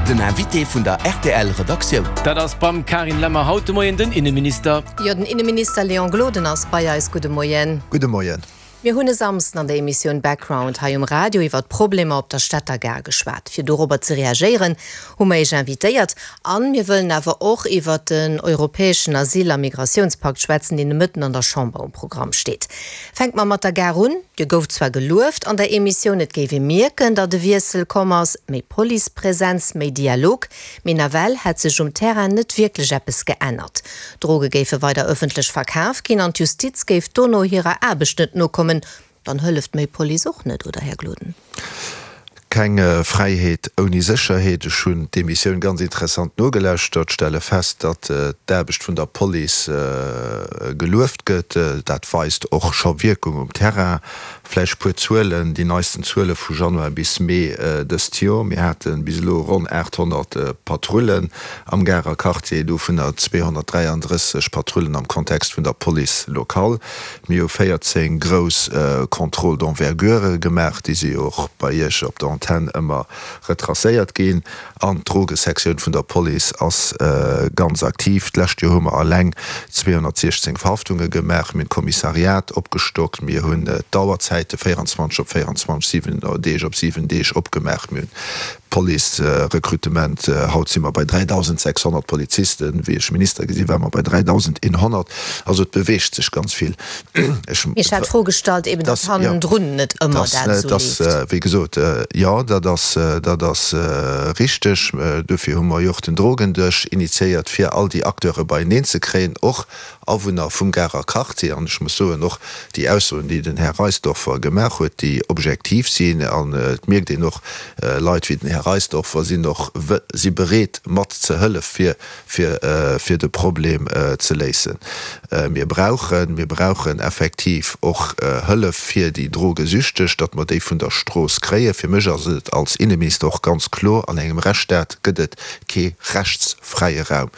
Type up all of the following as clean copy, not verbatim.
Den Invité vun der rtl Redaktioun. Dat ass beim Carine Lemmer haut de Moien den Inneminister. Jo, den Inneminister Léon Gloden ass bei eis. Gudde Moien. Gudde Moien. Mir hunn e Samsden an der Emissioun Background hei um Radio iwwer d'Problemer op der Stater Gare geschwat. Fir dorobber ze reagéieren, hu mer Iech invitéiert. An mir wëllen awer och iwwer den europäeschen Asyl a Migratiounspakt schwätzen, deen de Mëtten an der Chamber um Programm steet. Fänke mer mat der Gare un. Dir gouft zwar gelueft an der Emissioun, et géif ee mierken, datt e Wiessel komm ass, méi Policepresenz, méi Dialog, mee nawell hätt sech um Terrain net wierklech eppes geännert. Droge géife weider ëffentlech verkaf ginn an d'Justiz géif dono hirer Aarbecht net nokommen. Dann hëlleft méi Police och net, oder Här Gloden? Keng Fräiheet ouni Sécherheet. Ech hunn d'Emissioun ganz interessant nogelauschtert, stelle fest, datt d'Aarbecht vun der Police gelueft gëtt. Dat weist och scho Wierkung um Terrain. Vläicht puer Zuelen, déi neisten Zuele vu Januar bis Mee dëst Joer, Mir hate bis elo ronn 800 Patrullen am Garer Quartier, dovunner 233 Patrullen am Kontext vun der Police locale. Mir hu 14 grouss Contrôles d'envergure gemaach, déi si jo och bei Iech op der Antenn ëmmer retracéiert ginn. An d'Drogesektioun vun der Police ass ganz aktiv. D'lescht Joer hu mer eleng 216 Verhaftunge gemaach. Mir hunn d'Kommissariat opgestockt, mir hunn d'Auerzäite 24 op 24, 7 Deeg op 7 Deeg opgemaach, mir hunn Police-Rekrutement, haut si mer bei 3.600 Polizisten, wéi ech Minister gi sinn, ware mer bei 3.100. Also et beweegt sech ganz vill. Ech Ech hat d'Fro gestallt eben, datt hannendrun net ëmmer dat esou leeft. Wéi gesot, jo, dat ass, dat ass richteg. Dofir hu mer jo och den Drogendësch initiéiert, fir all déi Acteure beieneen ze kréien, och Awunner vum Garer Quartier, an ech muss soen, och déi Aussoen, déi den Här Reisdorfer gemaach huet, déi objektiv sinn, an et mierkt een och, Leit wéi den Här Reisdorfer sinn och si bereet mat ze hëllef fir fir fir de Problem ze léisen. Mir brauchen, mir brauchen effektiv och Hëllef fir déi Drogesüchteg, datt mer déi vun der Strooss kréien. Fir mech ass et als Inneminister och ganz kloer, an engem Rechtsstaat gëtt et kee rechtsfräie Raum.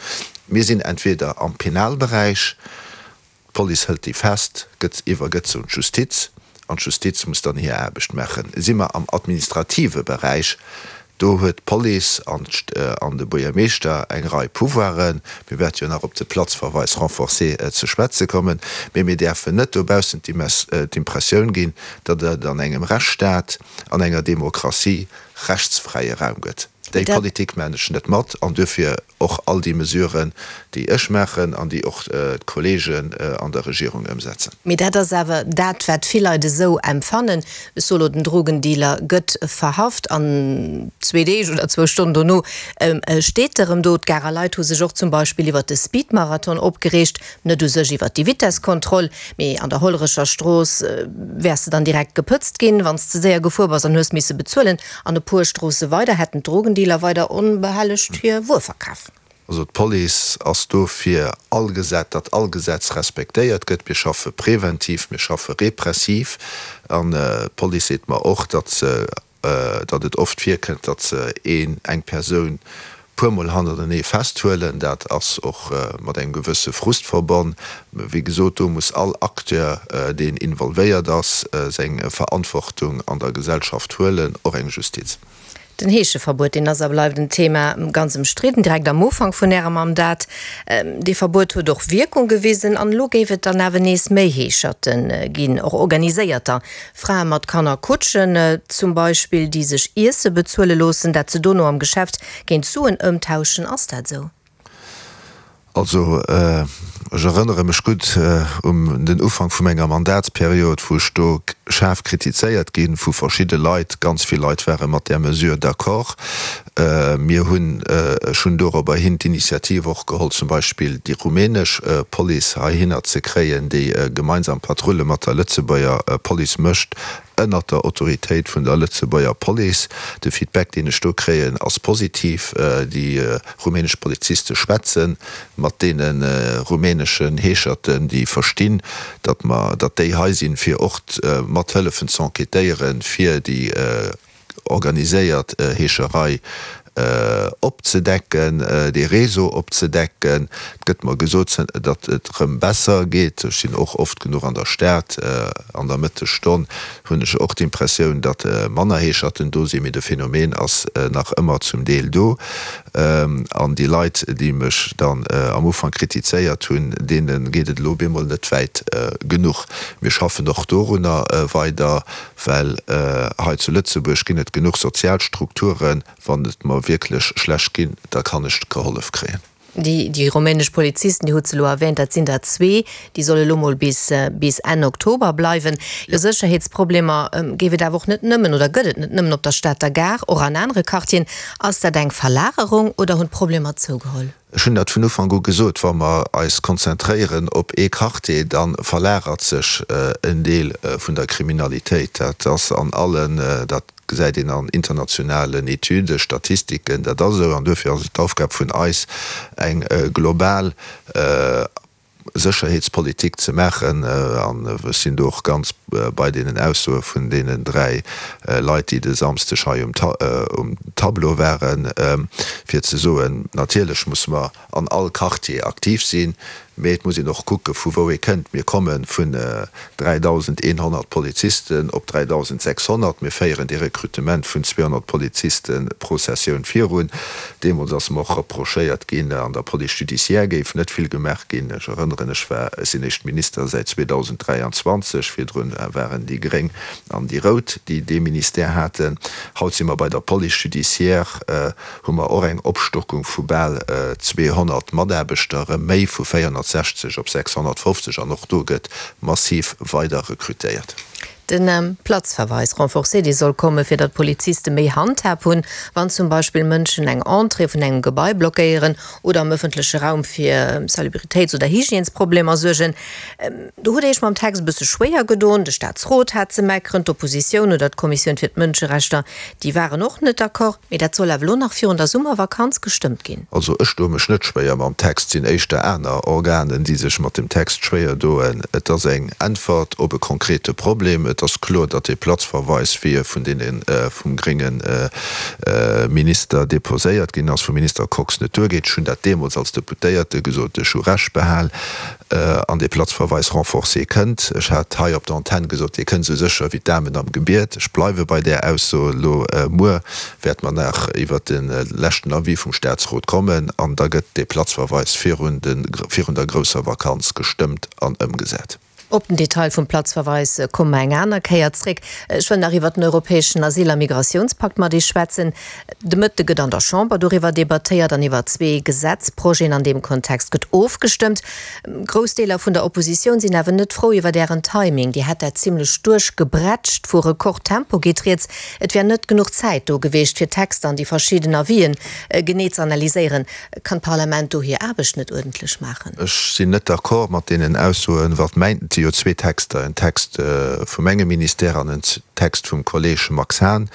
Mir sinn entweder am Penalberäich, d'Police hëlt déi fest, gëtt iwwergëtt se un d'Justiz an d'Justiz muss dann hir Aarbecht maachen. Si mer am administrative Beräich, do huet d'Police an de Buergermeeschter eng Rei Pouvoiren. Mir wäerte jo nach op de Platzverweis renforcé ze schwätze kommen, mee mir däerfen net dobaussen d'Impressioun ginn, datt et an engem Rechtsstaat, an enger Demokratie rechtsfräie Raum gëtt. Déi Politik maachen ech net mat an duerfir och all déi Mesuren, déi ech maachen an déi och d'Kollegen an der Regierung ëmsetzen. Mee dat ass awer dat, wat vill Leit esou empfannen. Ech soe lo, den Drogendealer gëtt verhaft an zwee Deeg oder zwou Stonnen dono steet e rëm do. D'Garer Leit hu sech och zum Beispill iwwert de Speedmarathon opgereegt, net u sech iwwert déi Vitesskontroll, mee an der Hollerecher Strooss wäers de dann direkt gepëtzt ginn, wann s de ze séier gefuer bass an hues misse bezuelen. An e puer Stroosse weider hätten d'Drogendealer weider onbehellegt hir Wuer verkaf. Also d'Police ass do fir all Gesetz, datt all Gesetz respektéiert gëtt. Mir schaffe preventiv, mir schaffe repressiv. An d'Police seet mer och, datt se, datt et oft virkënnt, datt se een, eng Persoun puer mol hannertenee festhuelen. Dat ass och mat engem gewësse Frust verbonn. Wéi gesot, do muss all Acteur, deen involvéiert ass, seng Verantwortung an der Gesellschaft huelen, och eng Justiz. Den Heescheverbuet, deen ass a bleift en Thema, ganz ëmstridden, direkt am Ufank vun Ärem Mandat. Dee Verbuet huet och Wierkung gewisen an elo géif et dann awer nees méi Heescherte ginn, och organiséierter. Frae mat Kanner Kutschen zum Beispill, déi sech Iesse bezuele loossen, dat se dono am Geschäft géint Suen ëmtauschen. Ass dat esou? Also ech erënnere mech gutt un den Ufank vu menger Mandatsperiod, wou ech do schaarf kritizéiert gi vu verschidde Leit. Ganz vill Leit ware mat där Mesure d'accord. Mir hunn, ech hunn dorobber hin d'Initiativ och geholl, zum Beispill déi rumänesch Police heihinner ze kréien, déi gemeinsam Patrulle mat der Lëtzebuerger Police mécht, ënnert der Autoritéit vun der Lëtzebuerger Police. De Feedback, deen ech do kréien, ass positiv. Déi rumänesch Poliziste schwätze mat deene rumäneschen Heescherten, déi verstinn, datt mer, datt déi hei sinn, fir och mat hëllefen z'enquêtéieren, fir déi organiséiert Heescherei. opzedecken, dee Réseau opzedecken. Et gëtt mer gesot, datt et erëm besser geet. Ech sinn och oft genuch an der Stad an der Mëttesstonn, hunn ech och d'Impressioun, datt manner Heescherten do sinn, mee de Phänomen ass nach ëmmer zum Deel do. An déi Leit, déi mech dann am Ufank kritizéiert hunn, deene geet et elo op eemol net wäit genuch. Mir schaffen och dorunner weider, well hei zu Lëtzebuerg ginn et genuch sozial Strukturen. Wann et mer wierklech schlecht ginn, da kann ech gehollef kréien. Déi rumänesch Polizisten, Dir hutt se elo erwähnt, dat sinn der zwee, déi solle elo mol bis bis Enn Oktober bleiwen. Jo, Sécherheetsproblemer géif et awer och net nëmmen oder gëtt et net nëmmen op der Stater Gare, och an anere Quartieren. Ass dat eng Verlagerung oder hunn d'Problemer zougeholl? Ech hunn dat vun Ufank u gesot, wa mer eis konzentréieren op ee Quartier, da verlagert sech en Deel vun der Kriminalitéit. Dat ass an allen, dat gesäit een an internationalen Etüden, Statistiken, dat ass esou. An duerfir ass et d'Aufgab vun eis, eng global Sécherheetspolitik ze maachen. An ech sinn do och ganz bei deenen Aussoe vun deenen dräi Leit, déi de Samsdeg hei um Tableau waren, fir ze soen, natierlech musse mer an all Quartier aktiv sinn, mee et muss een och kucke vu wou ee kënnt. Mir komme vun 3.100 Polizisten op 3.600. Mir féieren dee Rekrutement vun 200 Poliziste pro Sessioun virun. Deemools ass mer och reprochéiert ginn, an der Police judiciaire géif net vill gemaach ginn. Ech erënneren, ech war, ech sinn éischt Minister säit 2023, virdrun waren déi Gréng an déi Rout, déi dee Ministère haten. Haut si mer bei der Police judiciaire. hu mer och eng Opstockung vu bal 200 Mataarbechter, erëm méi, vu 460 op 650, an och do gëtt massiv weider rekrutéiert. Den Platzverweis renforcé, dee soll komme fir datt d'Poliziste méi Handhab hunn, wann zum Beispill Mënschen eng Entrée vun engem Gebai blockéieren oder am ëffentleche Raum fir Salubritéits oder Hygiènesproblemer suergen. Do hutt Dir Iech mam Text e bësse schwéier gedoen. De Staatsrot hat ze meckeren, d'Oppositioun oder d'Kommissioun fir d'Mënscherechter, déi waren och net d'accord. Mee dat soll awer elo nach virun der Summervakanz gestëmmt ginn. Also ech doe mech net schwéier mam Text, sinn éischter aner Organen, déi sech mat dem Text schwéier doen. Et ass eng Äntwert op e konkrete Problem. Et ass kloer, datt dee Platzverweis, wéi e vun deene vum grénge Minister deposéiert ginn ass, vum Minister Kox, net duergeet. Ech hunn dat deemools als Deputéierte gesot, ech hu Recht behal. An dee Platzverweis renforcé kënnt. Ech hat hei op der Antenn gesot, dee kënnt esou sécher wéi d'Amen am Gebiet. Ech bleiwe bei där Ausso. Elo muer wäerte mer nach iwwert de leschten Avis vum Statsrot kommen an da gëtt dee Platzverweis virun der grousser Vakanz gestëmmt an ëmgesat. Op den Detail vum Platzverweis komme mer eng aner Kéier zréck. Ech wëll nach iwwert den europäeschen Asyl a Migrationspakt mat Iech schwätzen. De Mëtte gëtt an der Chamber doriwwer debattéiert an iwwer zwee Gesetzprojeten an deem Kontext gëtt ofgestëmmt. Grouss Deeler vun der Oppositioun sinn awer net frou iwwer Ären Timing. Dir hätt dat zimmlech duerchgebrätscht. Vu Rekordtempo geet rieds. Et wär net genuch Zäit do geweecht, fir d'Texter an déi verschidden Avisen genee ze analyséieren. Kann d'Parlament do hir Aarbecht net uerdentlech maachen? Ech sinn net d'accord mat deenen Aussoen. Wat mäint, et si jo zwee Texter, en Text vu mengem Ministère an en Text vum Kolleg Max Hahn.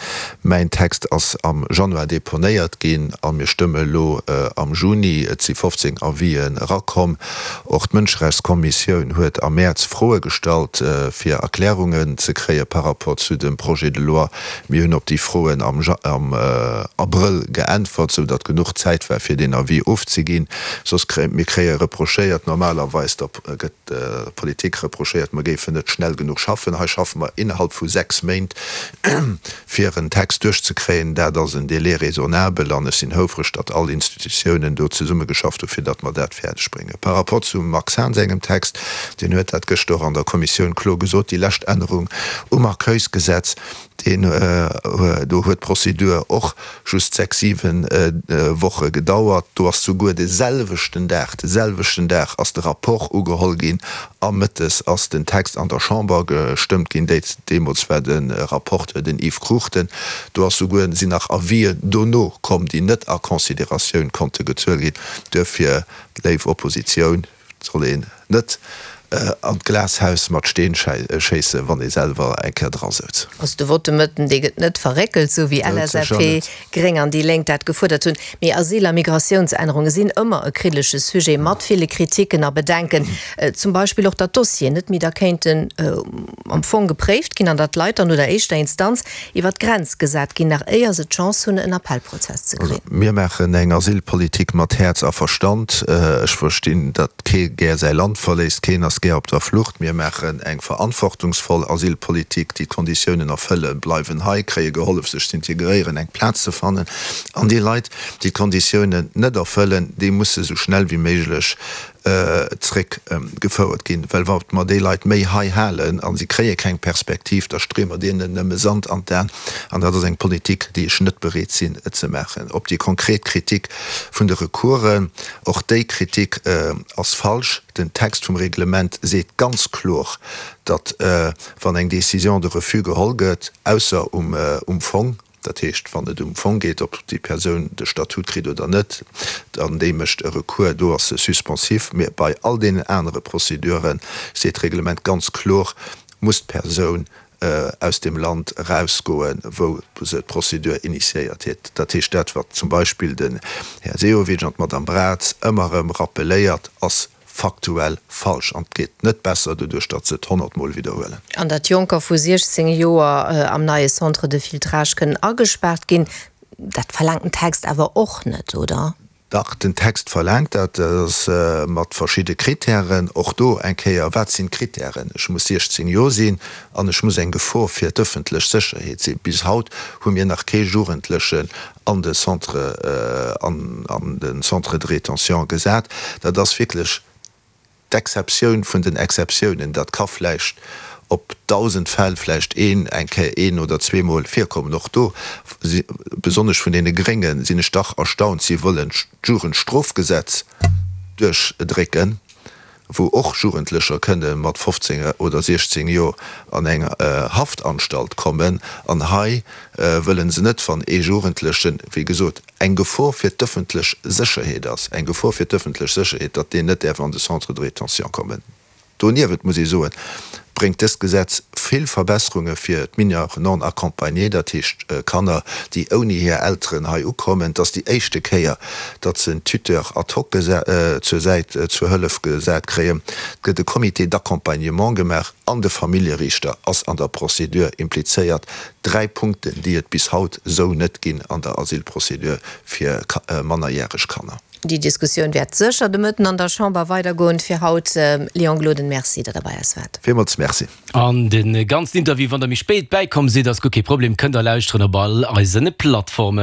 Mäin Text ass am Januar deponéiert ginn a mir stëmme elo am Juni. Et si 15 Avisen erakomm. Och d'Mënscherechtskommissioun huet am Mäerz Froe gestallt, fir Erklärungen ze kréie par rapport zu dem Projet de loi. Mir hunn op déi Froen am Abrëll geäntwert, sou datt genuch Zäit war, fir deen Avis ofzeginn. Soss kréie mir kréie reprochéiert, normalerweis der gëtt der Politik reprochéiert, mer géifen net schnell genuch schaffen. Hei schaffe mer innerhalb vu 6 Méint, fir en Text duerchzekréien. Dat ass en Délai raisonnabel an ech sinn houfreg, datt all Institutiounen do zesummegeschafft hu fir datt mer dat fäerdeg bréngen. Par rapport zum Max Hahn sengem Text, deen huet dat gëschter och an der Kommissioun kloer gesot, déi lescht Ännerung um Accueilsgesetz, deen, do huet d'Prozedur och just 6, 7 Woche gedauert. Do ass souguer de selwechten Dag, de selwechten Dag ass de Rapport ugeholl ginn a mëttes ass den Text an der Chamber gestëmmt ginn. Deemools war de Rapporteur den Yves Cruchten. Do ass souguer, sinn nach Avisen dono komm, déi net a Consideratioun konnte gezuel ginn. Duerfir, léif Oppositioun, soll een net. An d'Glashaus mat Steen schéissen, wann ee selwer eng Kéier dra souz. Also de Vote de Mëtten, dee gëtt net verréckelt, sou wéi LSAP, Gréng an déi Lénk dat gefuerdert hunn. Mee Asyl a Migratiounsännerunge sinn ëmmer e kriddelege Sujet mat ville Kritiken a Bedenken. Zum Beispill och, datt d'Dossieren net méi da kéinten am Fong gepréift ginn an datt d'Leit dann no der éischter Instanz iwwer d'Grenz gesat ginn, nach éier se d'Chance hunn, en Appellprozess ze kréien. Mir maachen eng Asylpolitik mat Häerz a Verstand. Ech verstinn, datt kee gär säi Land verléisst, keen ass gär op der Flucht. Mir maachen eng verantwortungsvoll Asylpolitik, déi d'Konditiounen erfëllen, bleiwen hei, kréie gehollef sech z'integréieren, eng Plaz ze fannen. An déi Leit, déi d'Konditiounen net erfëllen, déi musse sou schnell wéi méiglech zréck gefouert ginn, well wa mer déi Leit méi hei halen a si kréie keng Perspektiv, da streeë mer deenen nëmme Sand an d'Aen an dat ass eng Politik, déi ech net bereet sinn ze maachen. Op déi konkret Kritik vun de Recoursen, och déi Kritik ass falsch. Den Text vum Reglement seet ganz kloer, datt wann eng Décision de refus geholl gëtt, ausser um Fong, Dat heescht, wann et um Fong geet, ob déi Persoun de Statut kritt oder net, dann déi mécht e Recours, do ass se suspensif. Mee bei all deenen anere Procédure seet d'Reglement ganz kloer, muss d'Persoun aus deem Land erausgoen, wou se d'Procédure initiéiert huet. Dat heescht, dat wat zum Beispill den Här Sehovic an d'Madame Braz ëmmer erëm rappeléiert, ass faktuell falsch an et geet net besser doduerch, datt se et honnertmol widderhuelen. An datt Jonker vu 16 Joer am neie Centre de filtrage kënnen agespaart ginn, dat verlaangt den Text awer och net, oder? Dach, den Text verlaangt dat. Dat ass mat verschidde Kritären. Och do eng Kéier, Wat sinn d'Kritären? Ech muss 16 Joer sinn an ech muss eng Gefor fir d'ëffentlech Sécherheet sinn. Bis haut hu mir nach kee Jugendlechen an de Centre, an de Centre de rétention gesat. Dat ass wierklech d'Exceptioun vun den Exceptiounen. Dat ka vläicht op 1.000 Fäll vläicht een eng Kéier, een oder zweemol virkommen. Och do, besonnesch vun deene Gréngen, sinn ech dach erstaunt, si wëllen d'Jugendstrofgesetz duerchdrécken. wou och Jugendlecher kënne mat 15 oder 16 Joer an eng Haftanstalt kommen, an hei wëlle se net, wann ee Jugendlechen, wéi gesot, eng Gefor fir d'ëffentlech Sécherheet ass, eng Gefor fir d'ëffentlech Sécherheet, datt deen net däerf an de Centre de rétention kommen. Doniewent muss ee soen, bréngt dëst Gesetz vill Verbesserunge fir d'Mineurs non accompagnés, dat heescht Kanner, déi ouni hir Elteren hei ukommen. Et ass déi éischte Kéier, datt se en Tuteur ad hoc zur Säit, zur Hëllef gesat kréien. Et gëtt e Comité d'accompagnement gemaach an de Familljeriichter ass an der Procédure implizéiert. Dräi Punkten, déi et bis haut esou net ginn an der Asylprocédure fir mannerjäreg Kanner. Déi Diskussioun wäert sécher de Mëtten an der Chamber weidergoen. Fir haut, Léon Gloden, Merci, datt Der bei eis waart. Villmools Merci. An de ganzen Interview, wann der méi spéit bäikomm sidd, ass guer kee Problem, kënnt der lauschteren op all eisen Plattformen.